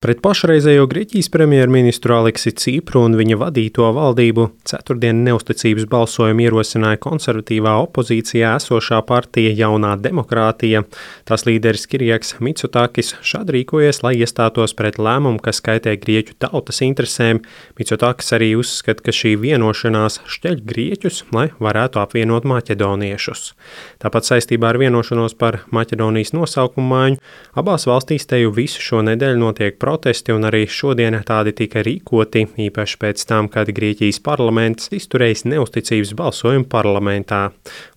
Pret pašreizējo Grieķijas premjerministru Aliksi Cipru un viņa vadīto valdību ceturtdien neusticības balsojumu ierosināja konservatīvā opozīcijā esošā partija Jaunā demokrātija. Tās līderis Kirijaks Mitsotakis šādi rīkojies, lai iestātos pret lēmumu, kas kaitē Grieķu tautas interesēm. Mitsotakis arī uzskata, ka šī vienošanās šķeļ Grieķus, lai varētu apvienot maķedoniešus. Tāpat saistībā ar vienošanos par Maķedonijas nosaukumu maiņu abās valstīs teju visu šo nedēļu notiek protesti, un arī šodien tādi tika rīkoti, īpaši pēc tam, kad Grieķijas parlaments izturējis neusticības balsojumu parlamentā.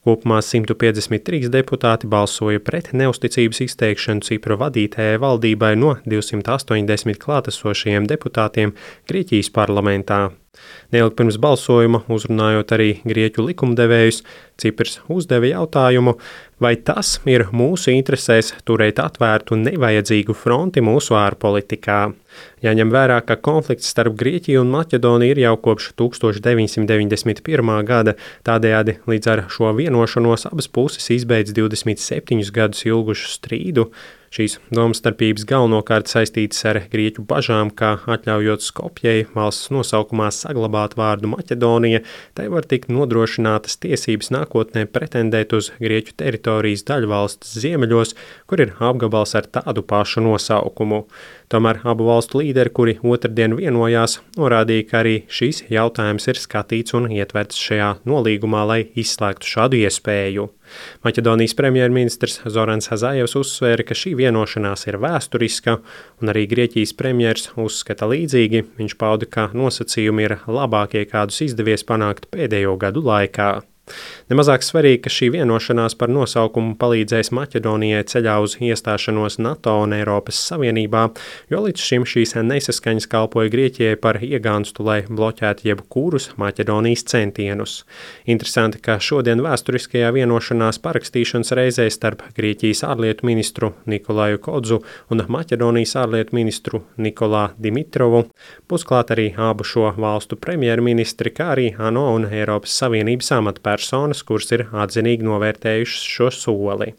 Kopumā 153 deputāti balsoja pret neusticības izteikšanu Cipru vadītajai valdībai no 280 klātesošajiem deputātiem Grieķijas parlamentā. Neilgi pirms balsojuma, uzrunājot arī grieķu likumdevējus, Ciprs uzdeva jautājumu, vai tas ir mūsu interesēs turēt atvērtu nevajadzīgu fronti mūsu ārpolitikā. Jāņem vērā, ka konflikts starp Grieķiju un Maķedoniju ir jau kopš 1991. gada, tādējādi līdz ar šo vienošanos abas puses izbeidz 27 gadus ilgušu strīdu. Šīs domstarpības galvenokārt saistītas ar Grieķu bažām, ka atļaujot Skopjei valsts nosaukumā saglabāt vārdu Maķedonija, tai var tikt nodrošinātas tiesības nākotnē pretendēt uz Grieķu teritorijas daļu valsts ziemeļos, kur ir apgabals ar tādu pašu nosaukumu. Tomēr abu valstu līderi, kuri otrdien vienojās, norādīja, ka arī šīs jautājums ir skatīts un ietverts šajā nolīgumā, lai izslēgtu šādu iespēju. Maķedonijas premjerministrs Zorans Hazājevs uzsvēra, ka šī vienošanās ir vēsturiska, un arī Grieķijas premjers uzskata līdzīgi. Viņš pauda, ka nosacījumi ir labākie, kādus izdevies panākt pēdējo gadu laikā. Nemazāk svarīgi, ka šī vienošanās par nosaukumu palīdzēs Maķedonijai ceļā uz iestāšanos NATO un Eiropas Savienībā, jo līdz šim šīs nesaskaņas kalpoja Grieķijai par iegānstu, lai bloķētu jebkurus Maķedonijas centienus. Interesanti, ka šodien vēsturiskajā vienošanās parakstīšanas reizē starp Grieķijas ārlietu ministru Nikolaju Kodzu un Maķedonijas ārlietu ministru Nikolā Dimitrovu būs klāt arī abu šo valstu premjerministri, kā arī ANO un Eiropas Savienības amatpersonas, kuras ir atzinīgi novērtējušas šo soli.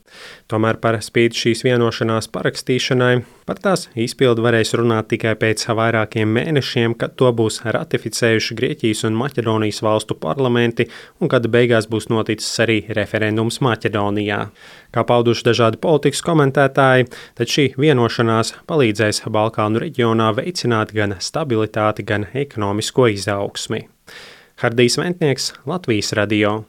Tomēr par spīti šīs vienošanās parakstīšanai par tās izpildu varēs runāt tikai pēc vairākiem mēnešiem, kad to būs ratificējuši Grieķijas un Maķedonijas valstu parlamenti un kad beigās būs noticis arī referendums Maķedonijā. Kā pauduši dažādi politikas komentētāji, tad šī vienošanās palīdzēs Balkānu reģionā veicināt gan stabilitāti, gan ekonomisko izaugsmi. Hardijs Ventnieks, Latvijas radio.